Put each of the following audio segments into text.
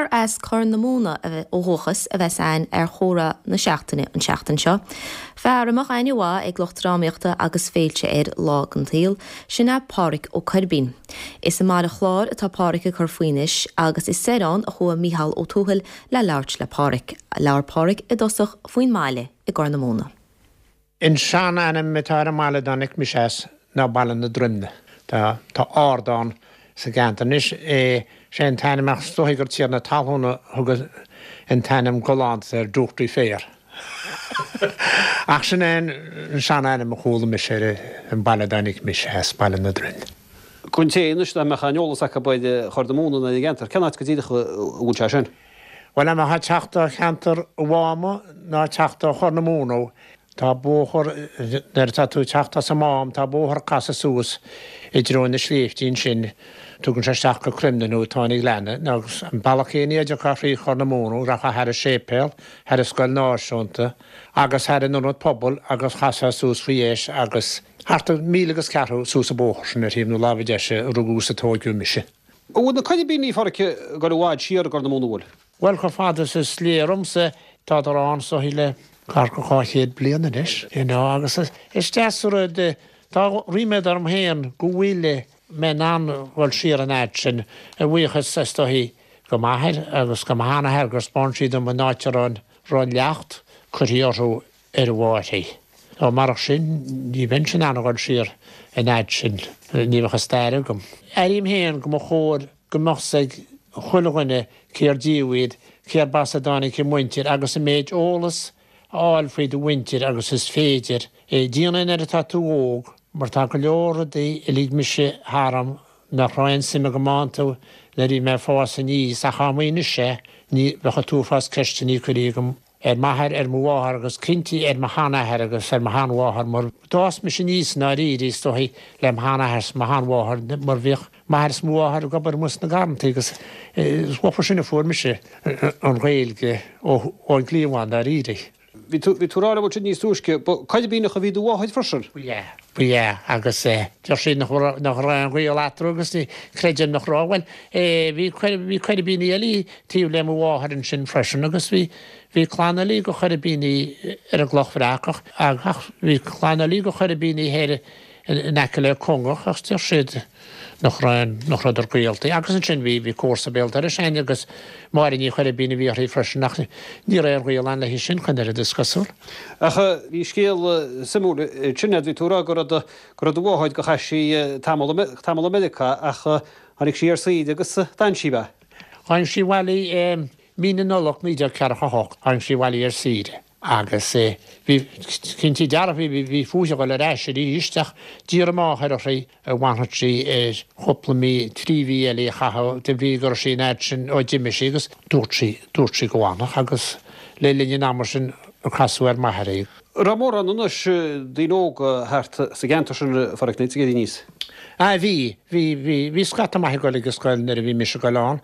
Fear as Corr na Móna ó dhúchas a bheas a'ainn ar Chomhrá na Seachtaine an tseachtain seo. Fear a mbeadh aithne mhaith ag lucht drámaíochta agus féilte air lá den tsaol, sin é Pádhraic Ó Coirbín. Is i mBaile Chláir atá Pádhraic ag cur faoi anois agus is soir ann a chuaigh Mícheál Ó Tuathail le labhairt le Pádhraic. Labhair Pádhraic i dtosach faoin mbaile i gCorr na Móna. An sean-ainm atá ar an mbaile a dtáinig mise as ná Baile na Droimne. Tá tá ardán sa gceantar anois. Sé an t-ainm ach is dóichí gur tiarna talún a thug an t-ainm galánta air, Dúchtaí Féar. Ach sin é an sean-ainm a chuala mise ar an baile a dtáinig mise as, Baile na Droimne. Don té anois nach mbeadh aon eolas acu ar Chorr na Móna nó ar an gceantar, cén áit go díreach a bhfuil sé sin? Bhuel, dá mbeifeá ag teacht ó cheantar Mháma ná ag teacht ó Chorr na Móna, tá bóthar, nuair atá tú ag teacht as an Mám, tá bóthar ag casadh suas i dtreo na sléibhte ansin, tugann sé isteach go Cruimne nó Tóin an Ghleanna, agus an bealach céanna a dtiocfá thrí Chorr na Móna, rachfá thar an séipéal, thar an scoil náisiúnta agus thar an ionad pobail agus chasfá suas faoi dheis agus thart ar mhíle agus ceathrú suas an bóthar sin ar thaobh na láimhe deise a rugadh is a tóigeadh mise. An bhfuil na Coirbínigh, a Pháraic, ag dul i bhfad siar i gCorr na Móna, an bhfuil? Bhuel, chomh fada is is léir dhomsa, tádar ann is dóichí le gar go 200 bliain anois, you know, agus is deas an rud, tá ríméad orm féin go bhfuil mé in ann dhul siar an fhad sin, a bhuíochas is dóichí go m'athair agus go mo sheanathair gur 'spáin siad dom an áit a raibh an leacht curtha orthu ar a mháthair. Ó marach sin ní bheinnse in ann a dhul siar an fhad sin, ní bheadh an stair agam. Airím féin go mba chóir go mbeadh 's ag chuile dhuine cér díobh iad, cérb as a dtáinig a muintir agus an méid eolas a fháil faoi do mhuintir agus is féidir. Déan é nuair atá tú óg mar tá go leor rudaí a lig mise tharam nach raibh aon suim agam iontu nuair a bhí mé ag fás aníos ach dá mba anois é ní bheadh an t-uafás ceisteanna curtha agam ar m'athair, ar mo mháthair agus cinnte ar mo sheanathair agus ar mo sheanmháthair mar d'fhás mise aníos i ndáiríre is dóichí le mo sheanathair is mo sheanmháthair mar bhíodh m'athair is mo mháthair ag obair amuigh sna garrantaí agus is uafa sin a fuair mise an Ghaeilge ón gcliabhán i ndáiríre. Bhí tú, bhí tú ag rá liom ansin níos túisce, ba Coirbíneach a bhí do mháthair freisin? Ba ea, ba ea agus deir siad nach raibh, nach raibh aon ghaol eatarthu agus ní chreidim nach raibh. Bhuel, bhí, bhí Coirbínigh eile taobh le mo mháthair ansin freisin agus bhí, bhí clann eile de Choirbínigh ar an gCloch Bhreac ach, ach bhí clann eile de Choirbínigh thoir in aice le Congach ach deir siad nach raibh, nach rabhadar gaolta. Agus ansin bhí, bhí comharsa béal dorais againn agus Máire Ní Choirbín a bhí uirthi freisin ach ní raibh aon ghaol ann léi sin chun oiread is cosúil. Ach bhí scéal suimiúil ansin, bhí tú ag rá go raibh do, go raibh do mháthair, gur chaith sí tamall, tamall i Meiriceá ach tháinig sí ar saoire agus d'fhan sí, ab ea? Tháinig sí abhaile i mí na Nollag 1948, tháinig sí abhaile ar saoire agus bhí, cinnte dearfa, bhí, bhí fúithi a dhul ar ais arís ach d'iarr a máthair uirthi an bhfanfadh sí ar chúpla mí, 3 mhí eile a chaitheamh de bhrí go raibh sí an fhad sin ó d'imigh sí agus dúirt sí, dúirt sí go bhfanfadh agus le linn an ama sin a casadh ar m'athair í. An raibh mórán anois daoine óga thart sa gceantar sin, a Pháraic, nuair a bhí tú ag éirí aníos? Ah bhí, bhí, bhí, bhí scata maith ag dul ag an scoil nuair a bhí mise ag dul ann,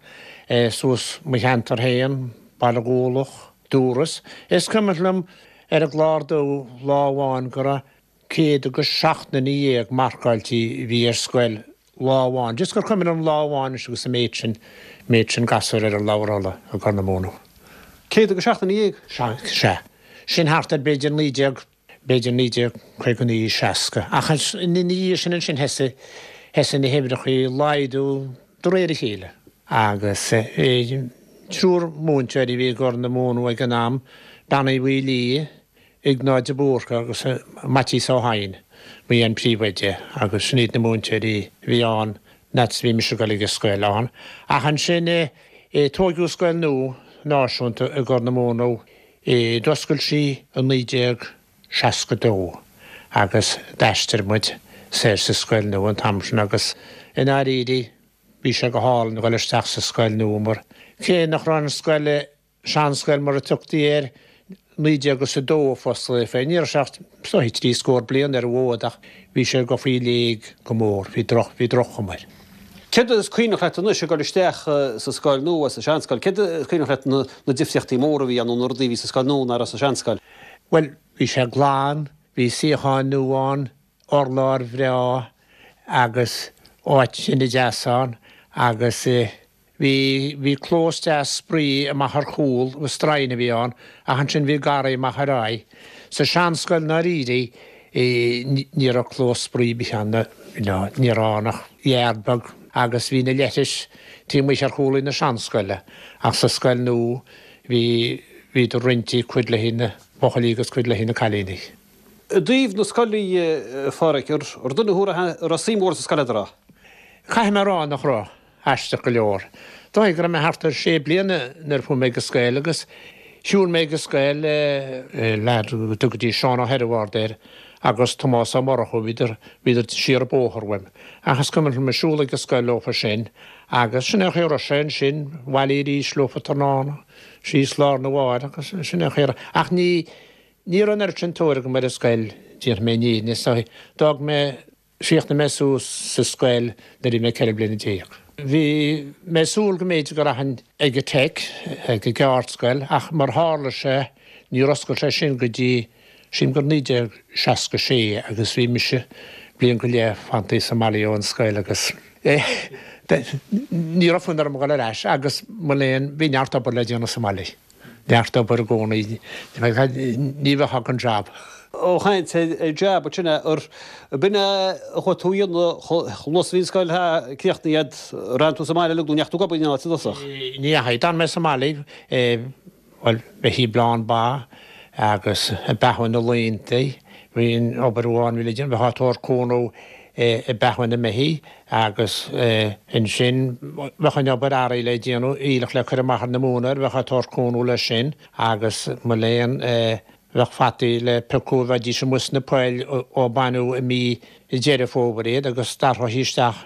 suas mo cheantar féin, Baile Gualach, Dúras. Is cuimhin liom ar an gClár Dubh lá amháin go raibh 117 nduine marcáilte a bhí ar scoil lá amháin, just gur cuimhin liom lá amháin anois agus an méid sin, méid sin gasúr ar an leabhar i gCorr na Móna. 117? Sea, sea. Sin thart ar b'fhéidir 19, b'fhéidir 1959, 60. Ach ina dhiaidh sin ansin thosaigh, thosaigh na huimhreacha ag laghdú de réir a chéile. Agus triúr múinteoirí a bhí i gCorr na Móna ag an am, Bean Uí Mhaoilí, Iognáid de Búrca agus Maitias Ó hEidhin, ba é an príomhoide agus sin iad na múinteoirí a bhí ann nuair a bhí mise ag dul ag an scoil ann. Ach ansin tóigeadh scoil nua náisiúnta i gCorr na Móna, d'oscail sí i 1962 agus d'aistrigh muid soir sa scoil nua an t-am sin agus i ndáiríre bhí sé go hálainn a dhul isteach sa scoil nua mar cé nach raibh an scoil seanscoil mar a tugtaí air, 19 agus 2 a fosclaíodh é. Ní raibh sé ach is dóichí 30 scór bliain ar an bhfód ach bhí sé ag dul faoi léig go mór, bhí droch, bhí droch-chuma air. Céard is cuimhneach leat anois ag dul isteach sa scoil nua, sa seanscoil, céard is cuimhneach leat na na difríochtaí móra a bhí ann nó na rudaí a bhí sa scoil nua nach raibh sa seanscoil? Bhuel, bhí sé glan, bhí suíocháin nua ann, urlár bhreá agus áit thine deas ann agus. Bhí, bhí clós deas spraoi amach ar chúl, stroighin a bhí ann, ach ansin bhí garraí amach ar aghaidh. Sa seanscoil i ndáiríre, ní raibh clós spraoi ar bith ann, you know, ní raibh ann ach yard beag agus bhí na leithris taobh amuigh ar chúl na seanscoile ach sa scoil nua bhí, bhíodar roinnte, cuid le haghaidh na buachaillí agus cuid le haghaidh na cailíní. I dtaobh na scoile, a Pháraic, ar duine thú a raibh suim mhór sa scoil agat, an raibh? Caithfidh mé a rá nach raibh. Aisteach go leor. Dóigh go raibh mé thart ar sé bliana nuair a chuaigh mé ag an scoil agus shiúil mé ag an scoil le leaid go dtugaidís Seán Ó hEireamhard air agus Tomás Ó Murchú, bhíodar, bhíodar siar an bóthar uaim. Ach is cuimhin liom ag siúl ag an scoil leofa sin agus sin é an chaoi a raibh sé ansin, abhaile arís leofa tráthnóna, síos lá arna mhárach agus sin é an chaoi a raibh. Ach ní, ní raibh an oiread sin tóir agam ar an scoil, déarfaidh mé an fhírinne, so d'fhág mé Chríochnaigh mé suas sa scoil nuair a bhí mé 14 bliana. Bhí mé ag súil go mb'fhéidir go rachainn ag an Tech, ag an gceardscoil, ach mar tharla sé, níor oscail sé sin go dtí, sílim gur 1966 agus bhí mise bliain go leith fanta sa mbaile ón scoil agus ní raibh fonn orm a dhul ar ais agus mo léan, bhí neart obair le déanamh sa mbaile. Neart obair i gcónaí. Ní bheifeá gan jab. Ó chaint ar jab ansin ar b'in é a chuaigh tú a dhéanamh chomh luath is a bhí an scoil críochnaithe agat, ar fhan tú sa mbaile uilig nó an ndeachaigh tú ag obair in aon áit i dtosach? Ní dheachaigh. D'fhan mé sa mbaile, bhuel, bheithí ag bleán ba agus ag beathú na laontaí. Bhí an obair amháin a bhí le déanamh, bheifeá ag tabhairt cúnamh ag beathú na mbeithí agus ansin bheadh an obair earraigh le déanamh, aoileach le cur amach ar na móinéir, bheifeá ag tabhairt cúnamh leis sin agus mo léan bheadh fataí le piocadh, bheidís amuigh sna poill ó baineadh i mí Deireadh Fómhair iad agus d'atrófaí isteach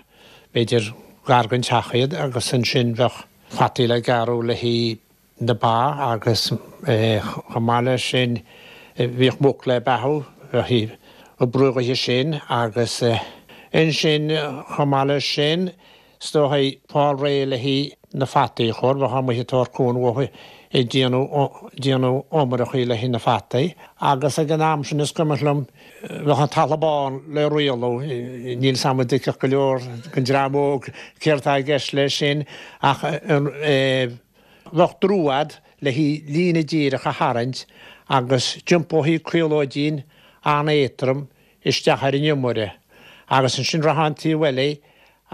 b'fhéidir gar don teach iad agus ansin bheadh fataí le gearradh le haghaidh na ba agus chomh maith leis sin bhíodh muc le beathú, bheifí ag oibriú chuige sin agus ansin chomh maith leis sin is dóigh fáil réidh le haghaidh na fataí a chur, bheifeá amuigh ag tabhairt cúnamh ag déanamh iomaireachaí le haghaidh na fataí agus ag an am sin is cuimhin liom bheadh an talamh bán le rialú, níl 's a'm an dtuigfeadh go leor den dream óg céard atá i gceist leis sin ach Bheadh drú a'd le haghaidh líne díreach a tharraingt agus d'iompófaí caolóidín an-éadtrom isteach ar an iomaire agus ansin rachfá an taobh eile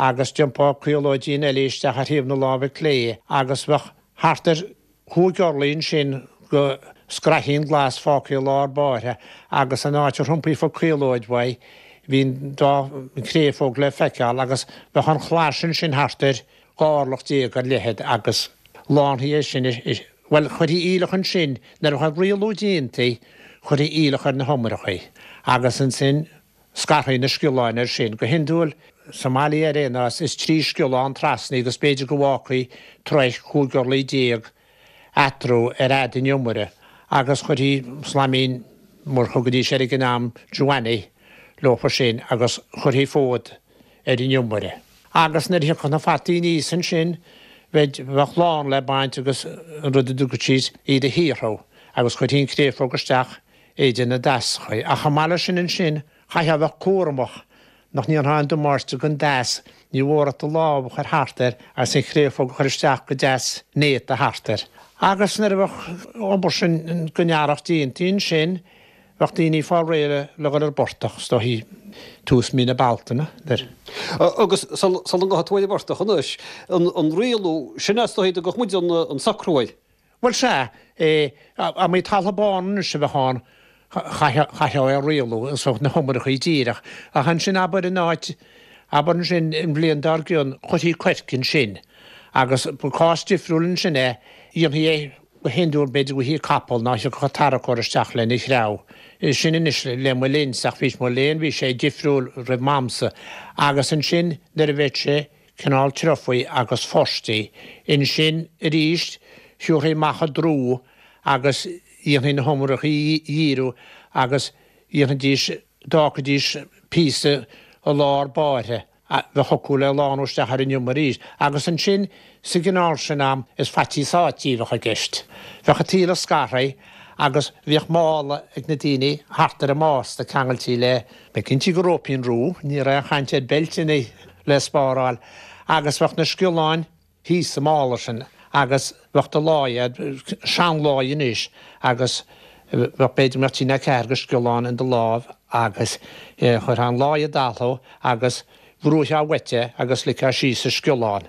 agus d'iompófá caolóidín eile isteach ar thaobh na láimhe clé agus bheadh thart ar chúig orlaí ansin go scraithín glas fágtha i lár báire agus an áit ar iompaigh an chaolóid uaidh bhí an dá chréafóg le feiceáil agus bheadh an chlais ansin thart ar 12 orlach ar leithead agus lánfaí é sin, bhuel, chuirfí aoileach ansin, nuair a bheadh an rialú déanta, chuirfí aoileach ar na hiomaireachaí agus ansin scarfaí na sciolláin air sin. Go hiondúil, sa mbaile ar aon nós, is trí sciollán trasna agus b'fhéidir go bhfágfaí troigh 15 orlaí eatarthu ar fhad an iomaire agus chuirfí slaimín, mar a thugaidís air ag an am, Joanny, leofa sin agus chuirfí fód ar an iomaire. Agus nuair a thiocfadh na fataí aníos ansin, bheadh lán le baint agus an rud a dtugadh siad iad a shaothrú, agus chuirfí an chréafóg isteach idir na deaschaí. Ach chomh maith leis sin ansin, chaithfeá a bheith cúramach nach ndéanfá aon damáiste don deas, ní mhór ach do lámh a chur thart air agus an chréafóg a chur isteach go deas néata thart air. Agus nuair a bheadh an obair sin den earrach déanta ansin, Bheadh daoine ag fáil réidh le dhul ar an bportach, is dóichí, tús mí na Bealtaine, nuair. Agus sula ngabhfaidh tú ar an bportach anois, an rialú, sin é is dóichí a dtugadh muid an socrú air. Bhuel, sea, dá mba talamh bán anois a bheadh ann, chaithfeá é a rialú, is na hiomaireachaí díreach. Ach ansin, abair in áit, abair ansin an bhliain dár gcionn, chuirfí coirce ansin. Agus ba cás difriúil ansin é, dhéanfaí é Go hiondúil b'fhéidir go bhfaighfí capall nó thiocfadh tarracóir isteach lena threabhadh. Sin anois le mo linnse ach bhí mo léan bhí sé difriúil roimh m'amsa. Agus ansin nuair a bheadh sé cineál treofaí agus forstí, ansin arís thiúrfaí amach an drú agus dhéanfaí na hiomaireachaí a dhíriú agus dhéanfaidís, d'fhágfaidís píosa i lár báire. a bheadh acu le lánú isteach ar an iomaire arís, agus ansin sa gcineál sin am is faitíos sáití a bheadh i gceist. Bheadh an t-aoileach scartha agus bhíodh mála ag na daoine thart ar a mbásta ceangailtí le, bheith cinnte go róipín rua, ní raibh aon chaint ar beilteanna le spáráil, agus bheadh na sciolláin. thíos sa mála sin agus bheadh do láí a'd, seanláí anois, agus bheadh b'fhéidir go mbeadh trí nó ceathair de sciolláin in do láimh agus chuirfeá an láí i dtalamh agus bhrúitheá uait é agus ligfeá síos an sciollán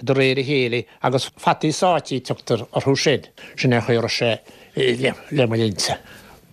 de réir a chéile agus fataí sáití a tugtar orthu sin. Sin é an chaoi a raibh sé le mo linnse.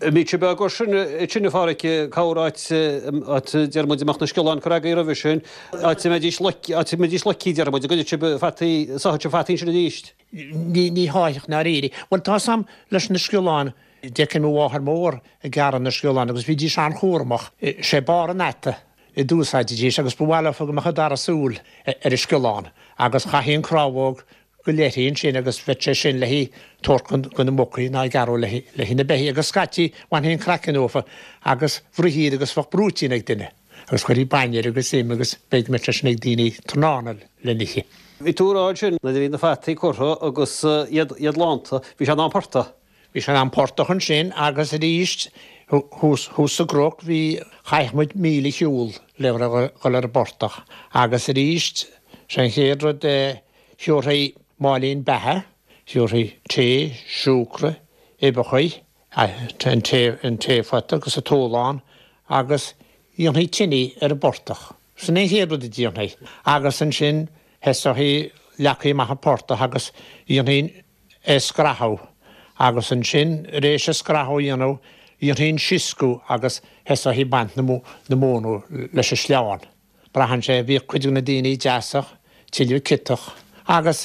Bhí sé beag air sin, sin a Pháraic, cabhair áit, áit deir muid a mbeadh na sciolláin curtha agaibh roimhe sin, áit a mbeidís loic, áit a mbeidís loicthe deir muid, an gcuirfeadh sibh fataí, sáfadh sibh fataí ansin arís? Ní, ní sháithfeadh i ndáiríre. Bhuel tá 'fhios a'm leis na sciolláin, d'fheicinn mo mháthair mhór ag gearradh na sciolláin agus bhídís an-chúramach. Sé barr an fhata a d'úsáididís agus ba mhaith leofa go mbeadh an dara súil ar an sciollán agus chaithfí an crábhóg go leithrí ansin agus bheadh sé sin le tabhairt do na mucaí ná gearradh le haghaidh na beithígh agus scaití bhainfí an craiceann uafa agus bhruithí iad agus bheadh brúitín ag duine agus chuirfí bainne air agus im agus b'fhéidir go mbeadh sé sin ag daoine tráthnóna le n-ithe. Bhí tú a rá ansin nuair a bhí na fataí curtha agus iad lánta, bhí sé in am portach. Bhí sé in am portach ansin agus arís thuas sa gcnoc bhí, chaithfeadh muid míle a shiúl le dhul ar an bportach agus arís sé an chéad rud a thiúrfaí máilín beatha, thiúrfaí tae, siúcra, uibheachaí, an taephota agus an túlán agus dhéanfaí tine ar an bportach. Sin é an chéad rud a déanfaí agus ansin thoiseofaí, leagfaí amach an portach agus dhéanfaí é scrathadh agus ansin tar éis an scrathadh a dhéanamh dhéanfaí an sioscadh agus thoiseofaí ag baint na móna leis an sleán. Braitheann sé, bhíodh cuid de na daoine deasach, tuilleadh ciotach agus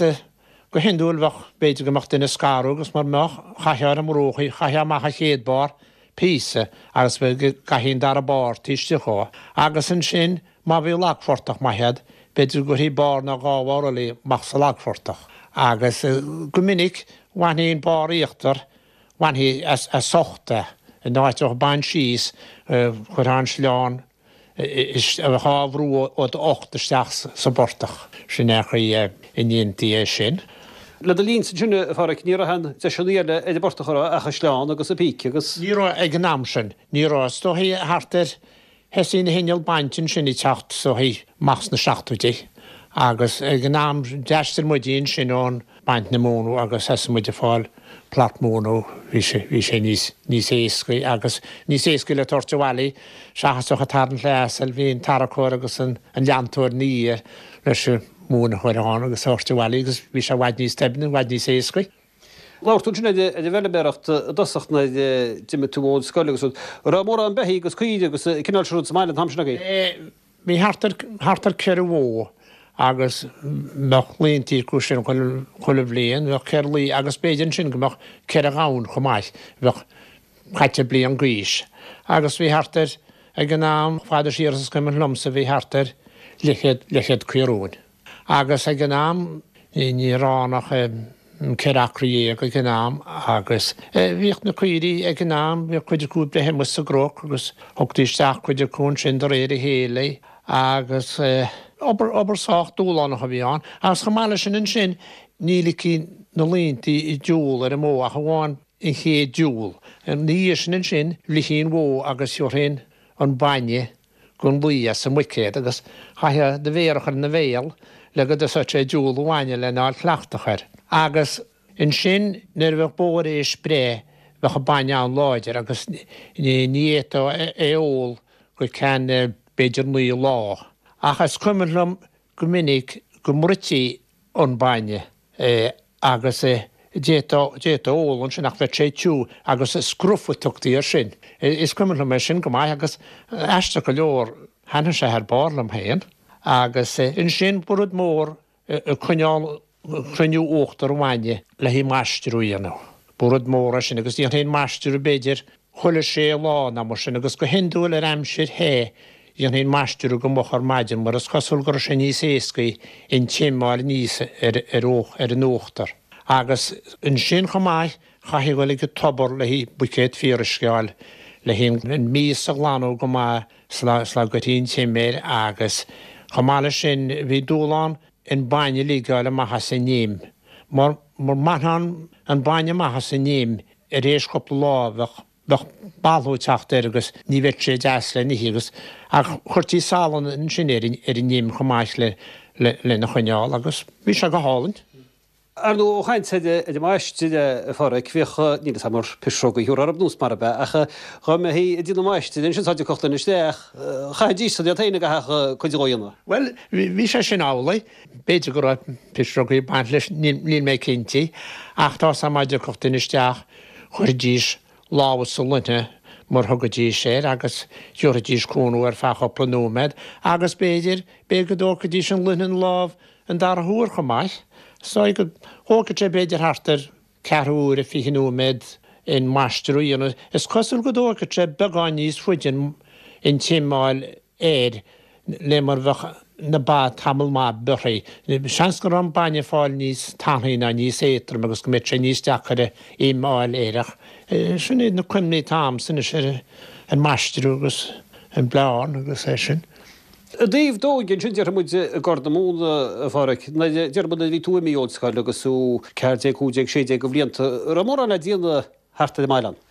go hiondúil bheadh, b'fhéidir go mbeadh duine ag scaradh agus mura mbeadh, chaithfeá ar an mbruach í, chaithfeá amach an chéad barr, píosa, agus go gcaithfí an dara barr taobh istigh dhó agus ansin má bhí lagphortach maith agat, b'fhéidir go gcuirfí barr nó dhá bharr eile amach sa lagphortach agus go minic bhainfí an barr íochtar, bhainfí as ucht é, in áit a bheith ag baint síos, chuirfeá an sleán a bheadh á bhrú ó d'ucht isteach sa bportach. Sin é an chaoi a ndéantaí é sin. Le do linnse ansin, a Pháraic, ní raibh aon deiseanna eile ar an bportach, an raibh, ach an sleán agus an píce agus. Ní raibh ag an am sin. Ní raibh. Is dóichí thart ar Thosaigh na hinnill bainte ansin ag teacht is dóichí amach sna seachtóidí agus ag an am d'aistrigh muid ansin ón baint na móna agus thosaigh muid ag fáil plairt móna, bhí sé, bhí sé níos, níos éascaí agus níos éascaí le tabhairt abhaile seachas a bheith ag tarraingt le asal, bhí an tarracóir agus an, an leantóir ina dhiaidh leis an mhóin a chur ann agus a thabhairt abhaile agus bhí sé i bhfad níos doimhne, i bhfad níos éascaí. Labhair tú ansin ar an bhfeilméaracht i dtosach nuair a d'imigh tú ón scoil agus rud. An raibh mórán beithígh agus caoirigh agus an cineál sin rud sa mbaile an t-am sin agaibh? Bhí thart ar, thart ar 4 bhó agus bheadh laontaí acu sin chuile bhliain, bheadh 4 lao agus b'fhéidir ansin go mbeadh 4 ghamhain chomh maith, bheadh caite bliain d'aois. Agus bhí thart ar, ag an am, fada siar is is cuimhin liomsa, bhí thart ar leathchéad, leathchéad caorúin. Agus ag an am ní raibh ann ach 14 acra ag an am agus bhíodh na caoirigh ag an am, bhíodh cuid acu ag breith amuigh sa gcnoc agus thugtaí isteach cuid acu ansin de réir a chéile agus obair, obair sách dúshlánach a bhí ann. Agus chomh maith leis sin ansin ní ligfí na laontaí ag diúl ar an mbó ach amháin an chéad diúl. Ina dhiaidh sin ansin bhrisfí an bhó agus thiúrfaí an bainne gon lao as an mbuicéad agus chaithfeá do mhéar a chur ina bhéal le go dtosódh sé ag diúl an bhainne lena fháil cleachtach air. Agus ansin nuair a bheadh bó ar éis breith bheadh an bainne an-láidir agus ní fhéadfá é a ól go ceann b'fhéidir 9 lá. Ach is cuimhin liom go minic go mbruití an bainne agus d'fhéadfá ól ansin ach bheadh sé tiubh agus scruff a tugtaí air sin. Is cuimhin liom é sin go maith agus aisteach go leor thaitnigh sé thar barr liom féin. Agus ansin ba rud mór coinneáil cruinniú uachtar an bhainne le haghaidh maistreadh a dhéanamh. Ba rud mór é sin agus dhéanfaí an maistreadh b'fhéidir chuile sé lá nó mar sin agus go hiondúil ar aimsir the dhéanfaí an maistreadh go moch ar maidin mar is cosúil go raibh sé níos éascaí an t-im a fháil aníos ar ar an uachtar. Agus ansin chomh maith chaithfí dhul ag an tobar le haghaidh buicéad fíoruisce a fháil le haghaidh an mias a ghlanadh go maith sula sula gcuirfí an t-im air agus chomh maith leis sin bhí dúshlán an bainne a ligeáil amach as an im mar mura mbainfeá an bainne amach as an im ar éis cúpla lá bheadh. Bheadh balthú ag teacht air agus ní bheadh sé deas le n-ithe agus ach chuirtí salann ansin ar ar an im chomh maith le lena choinneáil agus bhí sé go hálainn. Ar ndóigh, ó chaint ar an maistir, a Pháraic, bhíodh, níl 'fhios a'm ar pisreogaí a thiúrfá orthub nós mar ab ea, ach dhá mbeithí ag déanamh maistir ansin sá dtiocfadh duine isteach, chaithfidís san iad féin a gcaithfeadh cuid dhó a dhéanamh. Bhuel, bhí sé sin amhlaidh. B'fhéidir go raibh pisreogaí ag baint leis, níl mé cinnte, ach tá 'fhios a'm má dtiocfadh duine isteach, chuirfidís lámha sa luinne mar thugaidís air agus thiúrfaidís cúnamh ar feadh chúpla nóiméad agus b'fhéidir, b'fhéidir go dtógfaidís an luinne ina lámh an dara huair chomh maith. Is dóigh go dtógfadh sé b'fhéidir thart ar ceathrú uaire, 20 nóiméad an maistreadh a dhéanamh. Is cosúil go dtógfadh sé beagán níos faide an t-im a fháil air le mar bheadh na ba tamall maith bearrtha. Seans go raibh an bainne ag fáil níos tanaí ná níos éadtroime agus go mbeadh sé níos deacaire im a fháil air ach sin iad na cuimhní atá a'msa anois ar an maistreadh agus an bleán agus é sin. I dtaobh d'óige ansin, déarfaidh muid i gCorr na Móna, a Pháraic, nuair, déarfaidh muid nuair a bhí tú imithe ón scoil agus thú 14, 15, 16 de bhlianta, an raibh mórán le déanamh thart ar an mbaile ann?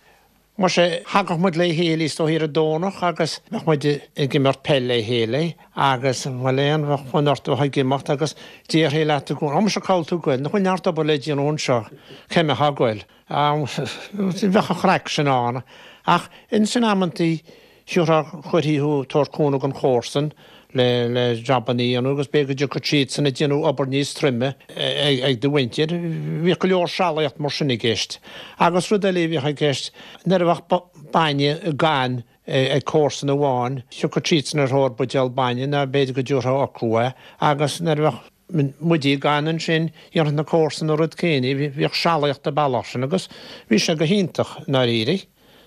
Muise, thagadh muid le chéile is dóigh ar an Domhnach agus bheadh muid ag imirt peil le chéile agus, bhuel, aon bheadh fonn ort a bheith ag imeacht agus déarfaí leat i gcónaí, 'Á muise cá bhfuil tú ag goil, nach bhfuil neart obair le déanamh anseo, cá mbeifeá ag goil? Bheadh an chraic sin ann ach ins in amantaí thiúrfá, chuirfí thú ag tabhairt cúnamh don chomharsan le le jabanna a dhéanamh agus b'fhéidir go dtiocfadh siadsan ag déanamh obair níos troime ag do mhuintir. Bhíodh go leor sealaíocht mar sin i gceist. Agus rud eile a bhíodh i gceist, nuair a bheadh bainne gann ag comharsan amháin, thiocfadh siadsan ar thóir buidéal bainne nó b'fhéidir go dtiúrfá chucu é agus nuair a bheadh muide gann ansin, dhéanfadh na comharsana an rud céanna, bhíodh sealaíocht an bealach sin agus bhí sé go hiontach i ndáiríre.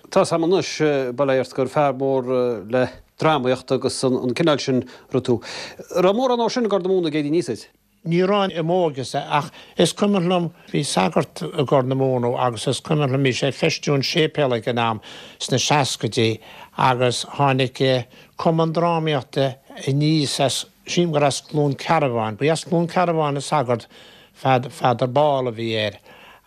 Tá 's a'm anois, bail ó Dhia ort, gur fear mór le drámaíocht agus an cineál sin rud thú. Raibh mórán dhó sin i gCorr na Móna ag éirí aníos duit? Ní raibh i m'óige-sa ach is cuimhin liom, bhí sagart i gCorr na Móna agus is cuimhin liom, bhí sé ag feistiú an séipéal ag an am, sna seascaidí, agus tháinig cumann drámaíochta aníos as, Sílim gur as Cluain Cearbháin. Ba as Cluain Cearbháin an sagart, Father Ball a bhí air,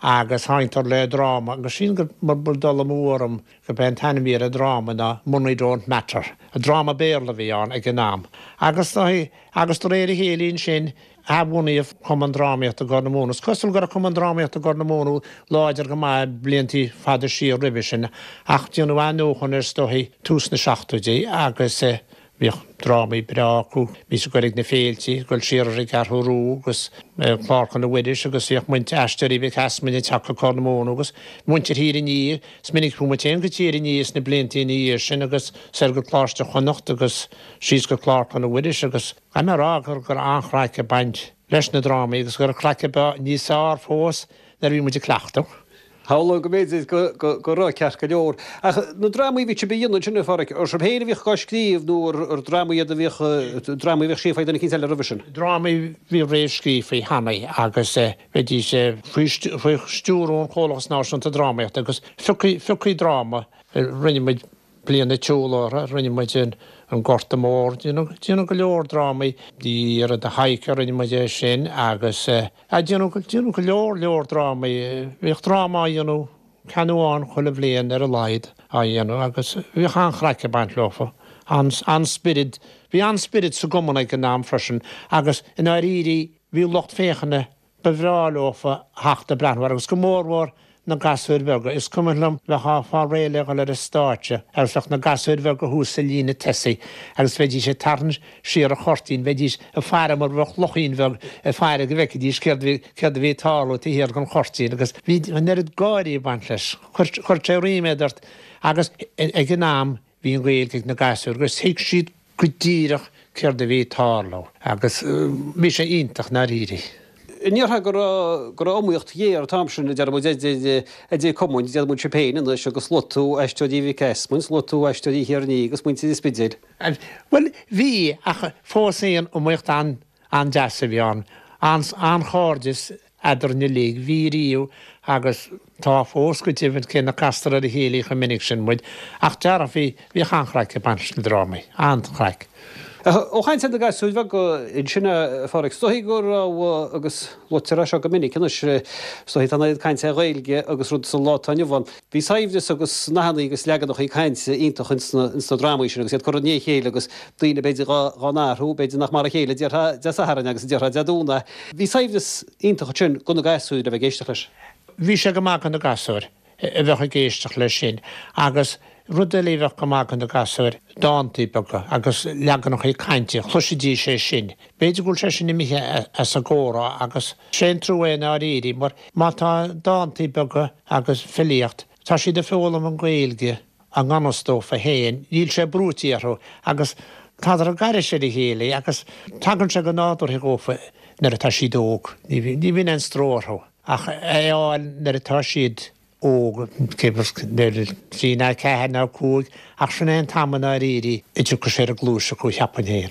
agus thángtar le dráma, agus sílim gur, mura bhfuil dul amú orm, gurb é an t-ainm a bhí ar an dráma ná Money Don't Matter. Dráma Béarla a bhí ann ag an am. Agus, agus de réir a chéile ansin, athbhunaíodh Cumann Drámaíochta Ghorr na Móna. Is cosúil go raibh Cumann Drámaíochta Ghorr na Móna láidir go maith bliantaí fada siar roimhe sin, ach déanadh athnuachan air is dóichí tús na seachtóidí agus, Bhíodh drámaí breá acu, bhíodh ag goil ag na féiltí, ag goil siar ar an gCeathrú Rua agus Clár Chonradh Mhuiris agus bhíodh muintir Aisteoirí Mhic Easmainn ag teacht go Corr na Móna agus muintir Thír an Fhia. Is minic a chuaigh muid féin go Tír an Fhia sna blianta ina dhiaidh sin agus soir go Coláiste Chonnacht agus síos go Clár Chonradh Mhuiris agus caithfidh mé a rá go raibh an-chraic ag baint leis na drámaí agus go raibh craic níos fearr fós nuair a bhí muid ag cleachtadh. Shamhlóinn go mb'fhéidir go raibh ceart go leor. Ach na drámaí a bhí sibh a dhéanamh ansin, a Pháraic, ar sibh féin a bhíodh á scríobh nó ar drámaí iad a bhíodh, drámaí a bhíodh scríofa ag duine eicínt eile roimhe sin? Drámaí a bhí réamhscríofa cheana agus bheidís faoi stiúrú an Chomhlachas Náisiúnta Drámaíochta agus phiocfaí dráma, rinne muid Bliain na Tsiúl orthu, rinne muid an Gorta Mór, déanadh go leor drámaí, The Year of the Hiker, rinne muid é sin agus déanadh go leor leor drámaí, bhíodh dráma á dhéanamh, ceann amháin chuile bhliain ar a laghad á dhéanamh agus bhíodh an-chraic ag baint leofa, an-spiorad, bhí an-spiorad sa gcumann ag an am freisin agus i ndáiríre bhí lucht féachana Ba bhreá leofa theacht ag breathnú air agus go mórmhór na gasúir bheaga. Is cuimhin liom bheifeá fáil réidh le dhul ar an stáitse agus bheadh na gasúir bheaga thuas sa líne tosaigh agus bheidís ag tarraingt siar an chuirtín, bheidís ag faire mar bheadh luchín bheag ag faire go bhfeicfidís céard a bhí, céard a bhí ag tarlú taobh thiar den chuirtín agus bhí an oiread gáirí ag baint leis. Chuir, chuir sé ríméad ort agus ag an am Bhí an Ghaeilge ag na gasúir agus thuig siad go díreach céard a bhí ag tarlú agus bhí sé iontach i ndáiríre. An ndéarfá go raibh go raibh iomaíocht ghéar an t-am sin, a deir muid, idir idir cumainn, a deir muid sibh féin anois agus luaigh tú Aisteoirí Mhic Easmainn, luaigh tú Aisteoirí Thír an Fhia agus muintir an Spidéil. Bhuel, bhí, ach fós féin iomaíocht an-deas a bhí ann. An-chairdeas eadrainn uilig. Bhí riamh agus tá fós go deimhin, cé nach gcastar ar a chéile chomh minic sin muid, ach dearfa, bhí, bhíodh an-chraic ag baint leis na drámaí. An-chraic. Ó chaint ar na gasúir bheaga ansin, a Pháraic, is dóichí go raibh, agus luaitear é seo go minic anois, is dóichí tá an oiread cainte ar Ghaeilge agus rud sa lá atá inniu ann. Bhí saibhreas agus nathannaí agus leaganachaí cainte iontach ins na drámaí sin agus iad curtha i ndiaidh a chéile agus daoine b'fhéidir dhá n-athrú, b'fhéidir nach mar a chéile a déarfá Dé Sathairn agus a déarfá Dé Domhnaigh. Bhí saibhreas iontach ansin do na gasúir le bheith ag éisteacht leis. Bhí sé go maith do na gasúir. a bheadh ag éisteacht leis sin. Agus rud eile a bheadh go maith do na gasúir, dántaí beaga agus leaganachaí cainte, chloisfidís é sin. B'fhéidir go bhfuil sé sin imithe as an gcomhrá agus sé an trua é i ndáiríre mar má tá dántaí beaga agus filíocht, tá siad ag foghlaim an Ghaeilge i ngan fhios dófa féin, níl sé brúite orthu agus tádar ag gairis ar a chéile agus tagann sé go nádúrtha dhófa nuair atá siad óg, ní bhíonn aon stró orthu. Ach é a fháil nuair atá siad óg, nuair trí ná ceathair ná cúig, ach sin é an t-am i ndáiríre a dtiocfaidh sé ar an gcluais acu, cheapfainn féin.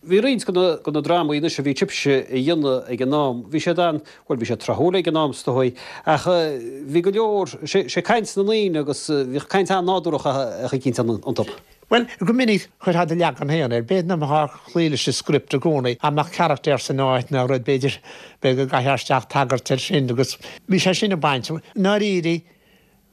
Bhí roinnt de na drámaí anois a bhí sibhse a dhéanamh ag an am, bhí siad an, bhuel bhí siad tráthúil ag an am is dóigh, ach bhí go leor, sé caint na ndaoine agus bhíodh caint an-nádúrach eicínt iontu. Bhuel, go minic chuirfeá do leagan féin air. B'fhéidir nach mbeifeá ag cloí leis an script i gcónaí, dá mbeadh carachtar san áit nó rud, b'fhéidir, b'fhéidir go gcaithfeá isteach tagairt air sin agus bhí sé sin ag baint. I ndáiríre,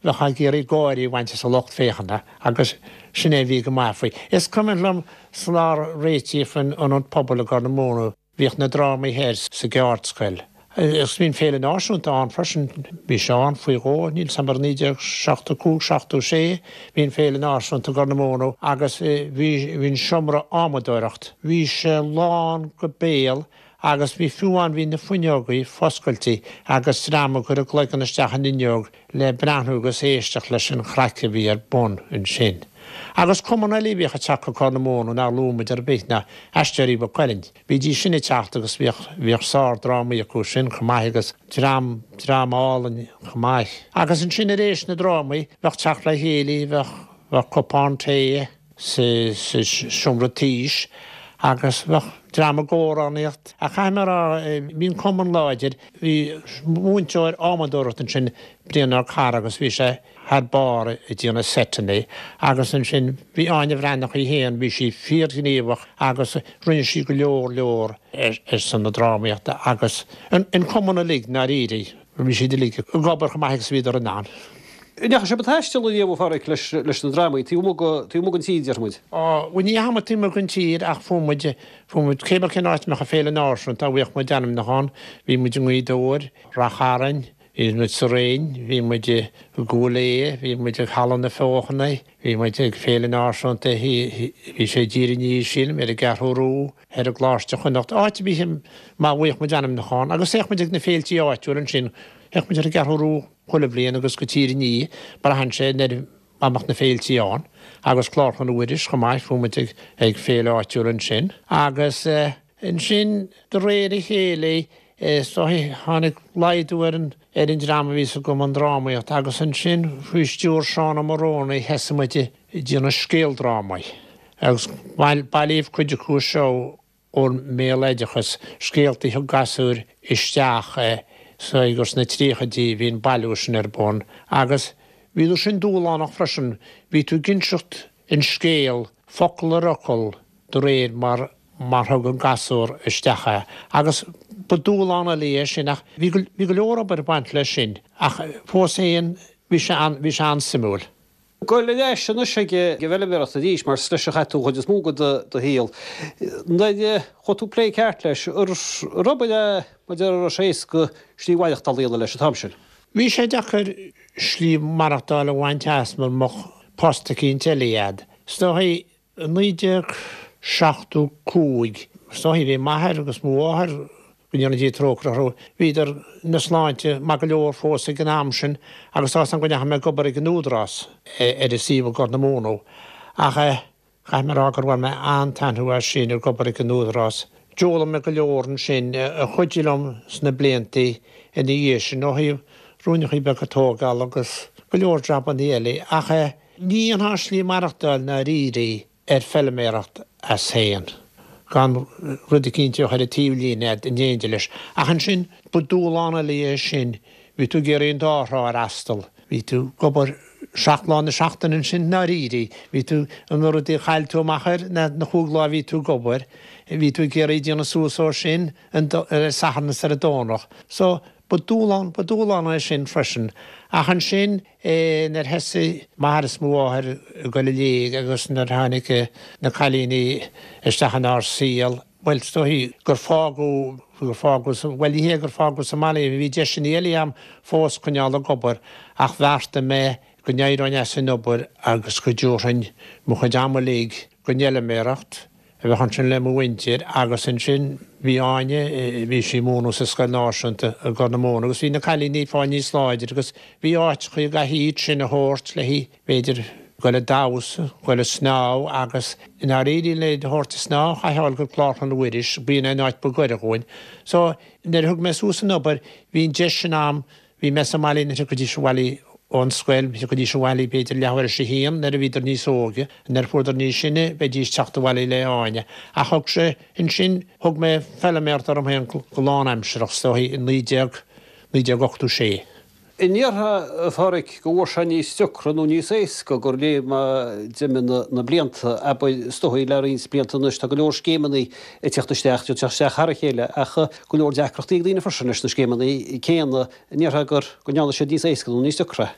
bheifeá ag iarraidh gáire a bhaint as an lucht féachana agus sin é a bhí go maith faoi. Is cuimhin liom sular réitíodh an Ionad Pobail i gCorr na Móna, Bhíodh na drámaí thoir sa gceardscoil. Agus bhí an Féile Náisiúnta ann freisin. Bhí sé ann faoi dhó, níl 's a'm ar 1975, 76, bhí an Féile Náisiúnta i gCorr na Móna agus bhí bhí an seomra adhmadóireacht, bhí sé lán go béal agus bhí fiú amháin bhí na fuinneogaí foscailte agus dream ag cur a gcloigeann isteach an fhuinneog le breathnú agus éisteacht leis an chraic a bhí ar bun ansin. Agus cumann eile a bhíodh ag teacht go Corr na Móna nár luaigh muid ar bith ná Aisteoirí Mhaigh Cuilinn. Bhídís sin ag teacht agus bhíodh, bhíodh sár-drámaí acu sin chomh maith agus dream, dream álainn chomh maith. Agus ansin ar éis na drámaí bheadh teacht le chéile, bheadh, bheadh cupán tae, sa seomra taois agus bheadh dream ag amhránaíocht. Ach caithfidh mé a rá, bhí an cumann láidir. Bhí múinteoir adhmadóireachta ansin, Brian Ó Carra, agus bhí sé thar barr ag déanamh seiteanna. Agus ansin bhí Áine Bhreathnach í féin, bhí sí fíorghníomhach agus rinne sí go leor leor ar son na drámaíochta agus an cumann uilig, i ndáiríre. Bhí siad uilig ag obair chomh maith agus a bhíodar in ann. An ndeachaigh sibh ag taisteal ariamh, a Pháraic, leis na drámaí, taobh amuigh den tír, déarfaidh muid? Á, bhuel, ní dheachaigh muid taobh amuigh den tír ach fuair muid, fuair muid, cé bith cén áit a mbeadh an Féile Náisiúnta, bhíodh muid ainmnithe ann. Bhí muid i nGaoth Dobhair, Rath Chairn, bhí muid sa Rinn, bhí muid i gCúil Aodha, bhí muid ag Halla na Feochana, bhí muid ag Féile Náisiúnta, bhí sé i dTír an Fhia, sílim, ar an gCeathrú Rua. Thoir i gColáiste Chonnacht, áit ar bith má bhíodh muid ainmnithe ann, agus théadh muid ag na féiltí áitiúil ansin, théadh muid ar an gCeathrú Rua chuile bhliain agus go Tír an Fhia, braitheann sé nuair a mbeadh na féiltí ann, agus Clár Chlainne Mhuiris chomh maith, chuaigh muid ag ag féile áitiúil ansin. Agus ansin de réir a chéile is dóigh tháinig laghdú ar an ar an dream a bhí sa gcumann drámaíochta agus ansin faoi stiúir Seán Ó Morónaigh thosaigh muid ag déanamh scéaldrámaí. Agus bailíodh cuid acu seo ón mbéaloideachas, scéalta a thug gasúir isteach is dóigh gur sna tríochaidí a bhí an bailiú sin ar bun. Agus bhíodar sin dúshlánach freisin, bhí tú ag inseacht an scéal focal ar fhocal de réir mar mar thug an gasúr isteach é. Agus ba dúshlán eile é sin ach bhí bhí go leor obair ag baint leis sin ach fós féin bhí sé bhí sé an-suimiúil. Goil ar ais anois ag an bhfeilméaracht arís, mar is leis a chaith tú an chuid is mó de do shaol. Nuair a chuaigh tú ag plé ceart leis, ar obair é mar a déarfá a raibh sé éasca slí mhaireachtála a dhéanamh leis an t-am sin? Bhí sé deacair slí maireachtáil a bhaint as mura mbeadh post eicínt eile a'd. Is dóigh I 1975, is dóigh, bhí m'athair agus mo mháthair, go ndéana Dia trócaire orthu, bhíodar ina sláinte maith go leor fós ag an am sin agus tá 'fhios a'm go ndeachaigh mé ag obair ag an Údarás ar an suíomh i gCorr na Móna. Ach caithfidh mé a rá gur bhain mé an-taitneamh as sin, ag obair ag an Údarás. D'fhoghlaim mé go leor ansin a chuidigh liom sna blianta ina dhiaidh sin ó thaobh ruainneachaí beaga tógála agus go leor jabannaí eile. Ach. Ní dhéanfá slí maireachtáil i ndáiríre ar feilméaracht as féin, gan rud eicínt a bheadh ar an taobhlíne a'd in éindí leis. Ach ansin, ba dúshlán eile é sin, bhí tú ag iarraidh an dá thrá a fhreastal, bhí tú ag obair. 7 lá na seachtaine ansin i ndáiríre. Bhí tú, na rudaí a chaill tú amach ar na chúig lá a bhí tú ag obair, bhí tú ag iarraidh déanamh suas ó sin ar an Satharn is ar an Domhnach. So, ba dúshlán, ba dúshlán é sin freisin. Ach ansin nuair a thosaigh m'athair is mo mháthair ag dul i léig agus nuair a tháinig na cailíní isteach inár saol, bhuel, is dóichí gur fágadh, gur fágadh sa, bhuel ní hé gur fágadh sa mbaile, bhí deiseanna eile a'm fós coinneáil ag obair ach bheartaigh mé go n-éireoinn as an obair agus go dtabharfainn mo chuid ama uilig don fheilméaracht a bheith ansin le mo mhuintir agus ansin bhí Áine, bhí sí ag múineadh sa scoil náisiúnta i gCorr na Móna agus bhí na cailíní ag fáil níos láidre agus bhí áiteachaí a gcaithfí iad sin a thabhairt le b'fhéidir goil ag damhsa, goil ag snámh agus i ndáiríre le iad a thabhairt ag snámh chaithfeá a ghoil go Clárchlann Mhuiris, b'in an áit ba ghaire dhúinn. So nuair a thug mé suas an obair bhí an deis sin a'm, bhí mé sa mbaile nuair a thiocfaidís abhaile ón scoil, thiocfaidís abhaile b'fhéidir leathuair tar éis a haon nuair a bhíodar níos óige, nuair a fuaireadar níos sine bheidís teacht abhaile le Áine. Ach thug sé, ansin thug mé feilméaracht orm féin go lánaimsearach is dóichí i 19, 1986. An ndéarfá, a Pháraic, go bhfuair sé níos deacra nó níos éasca de réir mar d'imigh na blianta, abair, is dóigh le roinnt blianta anois tá go leor scéimeanna ag teacht isteach, ag teacht isteach thar a chéile ach go leor deacrachtaí ag daoine freisin leis na scéimeanna céanna, an ndéarfá gur go ndearna siad níos éasca nó níos deacra?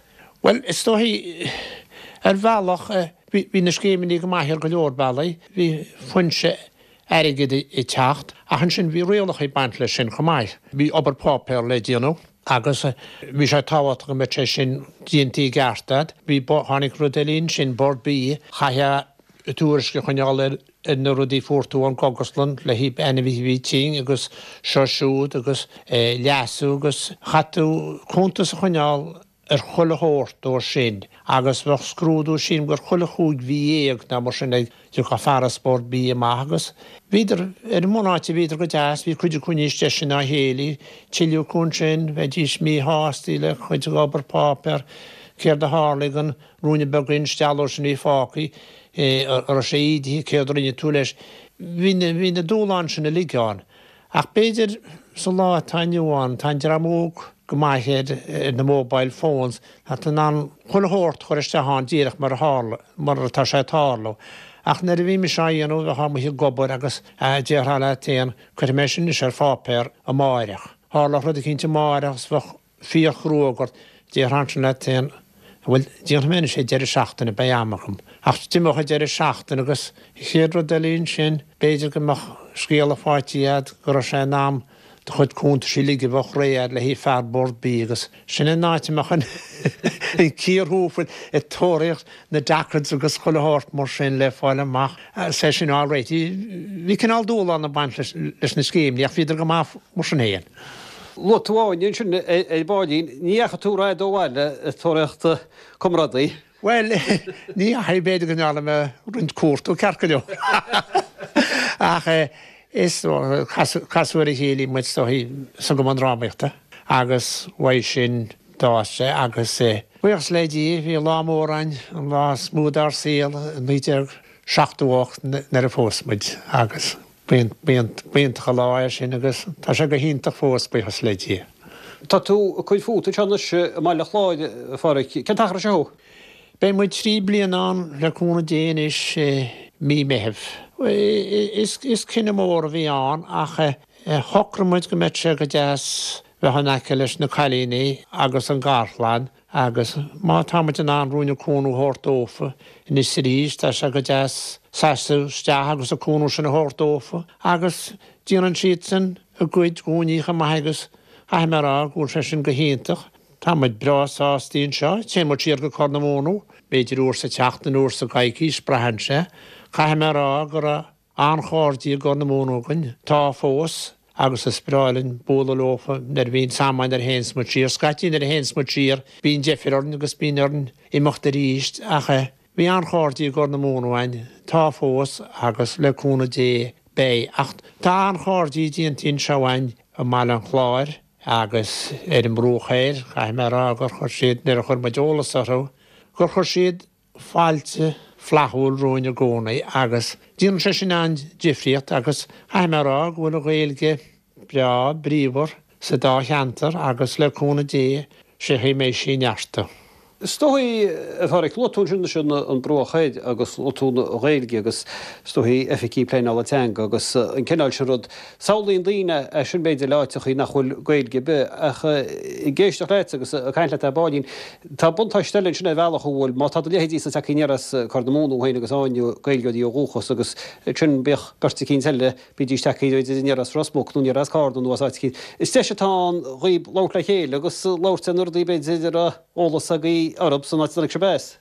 Bhuel, is dóigh, ar bhealach, bhí na scéimeanna go maith ar go leor bealaí, bhí foinse airgid ag teacht ach ansin bhí rialacha ag baint leis sin chomh maith. Bhí obair páipéar le déanamh. Agus bhí sé tábhachtach go mbeadh sé sin déanta i gceart a'd. Bhí, tháinig rud eile ansin, Bord Bia, chaithfeá tuairisc a choinneáil ar na rudaí a fuair tú ón gcógaslann le haghaidh ainmhithe a bhí tinn agus seo siúd agus leasú agus chaith tú cuntas a choinneáil ar chuile shórt dó sin agus bheadh scrúdú sílim gur chuile chúig mhí dhéag nó mar sin ag Thiocfadh fear as Bord Bia amach agus bhíodar, ar an mbunáite bhíodar go deas, bhí cuid acu níos deise ná a chéile, tuilleadh acu ansin, bheidís míshásta le cuid den obair páipéar, céard a tharlaigh don ruainne beag instealladh sin a bhí fágtha, an raibh sé ídithe, céard a rinne tú leis. Bhí na, bhí na dúshláin sin uilig ann. Ach b'fhéidir sa lá atá inniu ann, tá an dream óg go maith ar na mobile phones, tá tú in ann chuile shórt a chur isteach ann díreach mar a tharla, mar atá sé ag tarlú. Ach nuair a bhí mise á dhéanamh, bheifeá amuigh ag obair agus déarfá leat féin, cuirfidh mé sin anois ar pháipéar amáireach. Tharlódh rud eicínt amáireach agus bheadh fíorchruóg ort. Déarfá ansin leat féin, bhuel, déanfaidh mé anois é deireadh seachtaine, beidh am agam. Ach d'imeodh an deireadh seachtaine agus an chéad rud eile ansin, b'fhéidir go mbeadh scéala faighte agat go raibh sé in am do chuid cuntais uilig a bheadh réidh agat le haghaidh fear Bord Bia agus sin an áit a mbeadh an cíor thuas ag tóraíocht na dockets agus chuile shórt mar sin le fáil amach agus é sin á réiteach. Bhí cineál dúshlán ag baint leis na scéimeanna ach bhíodar go maith mar sin féin. Luaigh tú Áine ansin ar baillín. Ní dheachaigh tú rófhada ó bhaile ag tóraíocht comrádaí? Bhuel, ní dheachaigh, b'fhéidir go ndearna mé roinnt cuartú, ceart go leor. Ach is casadh ar a chéile muid is dóichí sa gcumann drámaíochta agus uaidh sin d'fhás sé agus buíochas le Dia bhí lá mór ann, an lá is mó dár saol i 1978 nuair a phós muid agus B'iontach an lá é sin agus tá sé go hiontach fós, buíochas le Dia. Tá tú ag cur fút anseo anois i mBaile Chláir, a Pháraic. Cén t-achar anseo thú? Beidh muid 3 bliana ann le cúnamh Dé anois i mí Meithimh. Is cinneadh mór a bhí ann ach shocraigh muid go mbeadh sé go deas bheith in aice leis na cailíní agus an garchlann Agus má tá muid in ann ruainne cúnamh a thabhairt dófa anois arís, tá sé go deas seasamh isteach agus an cúnamh sin a thabhairt dófa. Agus déanann siadsan a gcuid dhúinne chomh maith agus caithfidh mé a rá go bhfuil sé sin go hiontach. Tá muid breá sásta anseo. Téann muid siar go Corr na Móna, b'fhéidir uair sa tseachtain, uair sa gcoicís, braitheann sé. Caithfidh mé a rá go raibh an-chairde i gCorr na Móna againn, tá fós, agus is breá linn bualadh leofa nuair a bhíonns am againn nuair a théanns muid siar. Scaití nuair a théanns muid siar bíonn deifir orainn agus bíonn orainn imeacht arís ach bhí an-chairde i gCorr na Móna againn, tá fós agus le cúnamh Dé beidh. Ach tá an-chairde déanta anseo againn i mBaile an Chláir agus ar an mBruach Thoir, caithfidh mé a rá gur chuir siad, nuair a chuir muid eolas orthu, gur chuir siad fáilte flaithiúil romhainn i gcónaí agus déanann sé sin an-difríocht agus caithfidh mé a rá go bhfuil an Ghaeilge breá bríomhar sa dá cheantar agus le cúnamh Dé sé chaoi a mbeidh sí ag neartú. Is dóigh, a Pháraic, luaigh tú ansin ansin an Bruach Thoir agus luaigh tú an Ghaeilge agus is dóigh oifigigh pleanála teanga agus an cineál sin rud. Samhlaíonn daoine é sin b'fhéidir le áiteachaí nach bhfuil Gaeilge ar bith ach ag éisteacht leat agus ag caint leat ar baillín, tá buntáiste eile ansin ar bhealach an bhfuil, má tá do leithéidí-sa tagtha aniar as Corr na Móna thú féin agus Áine, Gaeilgeoirí ó dhúchas agus ansin bíodh beirt eicínt eile, bídís tagtha b'fhéidir aniar as Ros Muc nó aniar as Carna nó as áit eicínt. Is deis atá ann dhaoib labhairt le chéile agus labhairt ar na rudaí b'fhéidir a raibh eolas agaibh orthu san áit a dtáinig sibh as.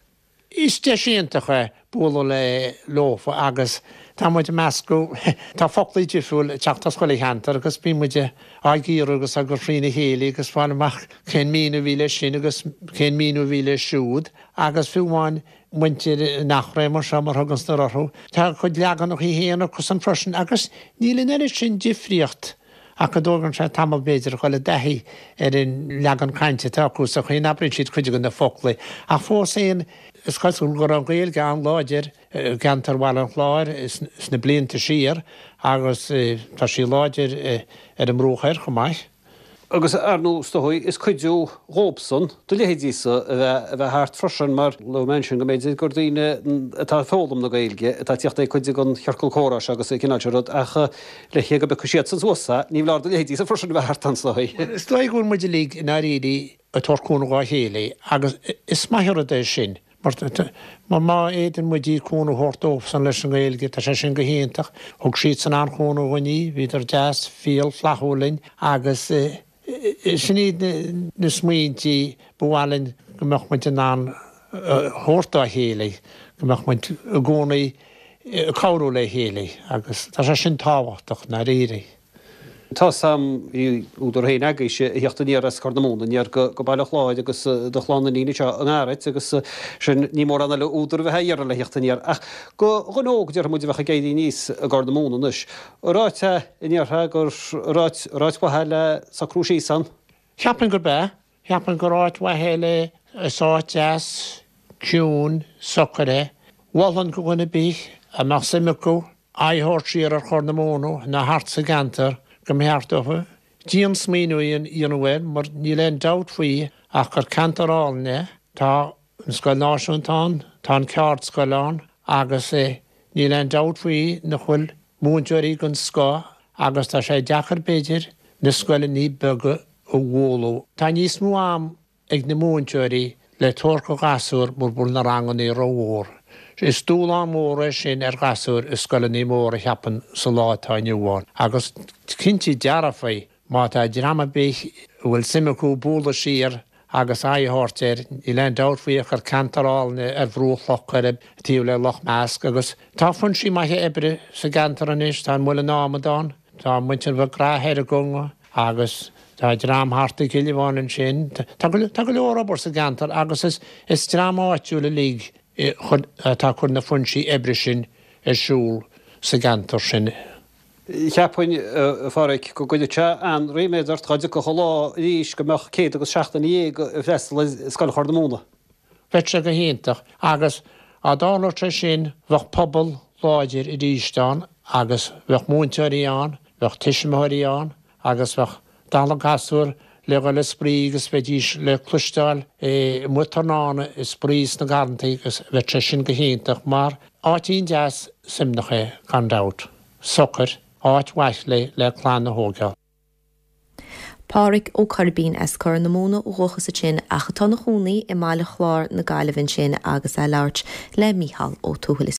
Is deis iontach é bualadh le leofa agus tá muid ag meascadh, tá foclaí difriúil ag teacht as chuile cheantar agus bíonn muid á gcíoradh agus á gcur thrína chéile agus fáil amach cén míniú a bhí leis sin agus cén míniú a bhí leis siúd agus fiú amháin muintir an Eachréidh mar seo, mar a thugann siad orthu. Tá a gcuid leaganachaí féin acusan freisin agus níl an oiread sin difríocht ach go dtógann sé tamall b'fhéidir a dhul i dtaithí ar an leagan cainte atá acu sa chaoi a n-abraíonn siad cuid de na foclaí. Ach fós féin, is cosúil go raibh an Ghaeilge an-láidir i gceantar Bhaile an Chláir sna blianta siar agus tá sí láidir ar an mBruach Thoir chomh maith. Agus, ar ndóigh, is dóigh, is cuidiú dhóibhsan, do leithéidí-sa, a bheith, a bheith thart freisin, mar luaigh mé ansin go mb'fhéidir gur daoine atá ag foghlaim na Gaeilge atá ag tíocht ag cuid den chiorcal comhrá seo agus an cineál seo rud, ach le go bpiocfaidh siadsan suas é, ní foláir do leithéidí-sa freisin a bheith thart ann, is dóigh. Is dóigh go bhfuil muid uilig i ndáiríre ag tabhairt cúnamh dhá chéile agus is maith an rud é sin. Mar má fhéadann muid cúnamh a thabhairt dóibhsan leis an nGaeilge, tá sé sin go hiontach. Thug siadsan an-chúnamh dhúinn, bhíodar deas, fial, flaithiúil linn agus sin iad na smaointí ba mhaith linn go mbeadh muid in ann a thabhairt dá chéile, go mbeadh muid i gcónaí ag cabhrú le chéile agus tá sé sin tábhachtach, i ndáiríre. Tá's a'm, bhí údar féin agaibhse a thíocht aniar as Corr na Móna aniar go Baile Chláir agus do chlann iníon anseo i nGarrait agus sin ní mórán eile údar a bheith á iarraidh le thíocht aniar. Ach go dhuine óg déarfaidh muid a bheadh ag éirí aníos i gCorr na Móna anois, ar áit é a ndéarfá gur ar áit ar áit mhaith é le socrú síos ann? Cheapfainn gurb ea. Cheapfainn gur áit mhaith é le, is áit deas, ciúin, socair é. Mholfainn go dhuine ar bith a mbeadh suim acu aghaidh a thabhairt siar ar Chorr na Móna nó thart sa gceantar go mba cheart dófa dian-smaoineamh a dhéanamh air mar níl aon dabht faoi ach gur ceantar álainn é. Tá an Scoil Náisiúnta ann, tá an Ceárd-scoil ann agus níl aon dabht faoi nach bhfuil múinteoirí den scoth agus tá sé deacair b'fhéidir na scoileanna beaga a bhualadh. Tá níos mó am ag na múinteoirí le tabhairt do ghasúir mura bhfuil na rangannaí rómhór. Is dúshlán mór é sin ar ghasúir i scoileannaí móra cheapfainn sa lá atá inniu ann. Agus cinnte dearfa má tá dream ar bith a bhfuil suim acu bualadh siar agus aghaidh a thabhairt air, níl aon dabht faoi ach gur ceantar álainn é ar bhruach Loch Coirib taobh le Loch Measc agus tá foinsí maithe oibre sa gceantar anois, tá an Muileann Adhmad ann, tá muintir McGrath thoir i gConga, Agus tá dream thart i gCill Aoibheáin ansin. Tá go leor obair sa gceantar agus is dream áitiúil uilig atá ag cur na foinsí oibre sin ar siúl sa gceantar sin. Cheapfainn, a Pháraic, go gcuirfeadh sé an-ríméad ort dhá dtiocfadh an lá arís go mbeadh 117 ag freastal ar Scoil Chorr na Móna. Bheadh sé go hiontach agus dá dtarlódh sé sin bheadh pobal láidir arís ann agus bheadh múinteoirí ann, bheadh tuismitheoirí ann agus bheadh dalladh gasúr le dhul ag spraoi agus bheidís le cloisteáil amuigh tráthnóna ag spraoi sna garrantaí agus bheadh sé sin go hiontach mar áitín deas suaimhneach é gan dabht. Socair, áit mhaith le le clann a thógáil. Pádhraic Ó Coirbín as Corr na Móna ó dhúchas ansin ach atá ina chónaí i mBaile Chláir na Gaillimhe ansin agus é ag labhairt le Mícheál Ó Tuathail.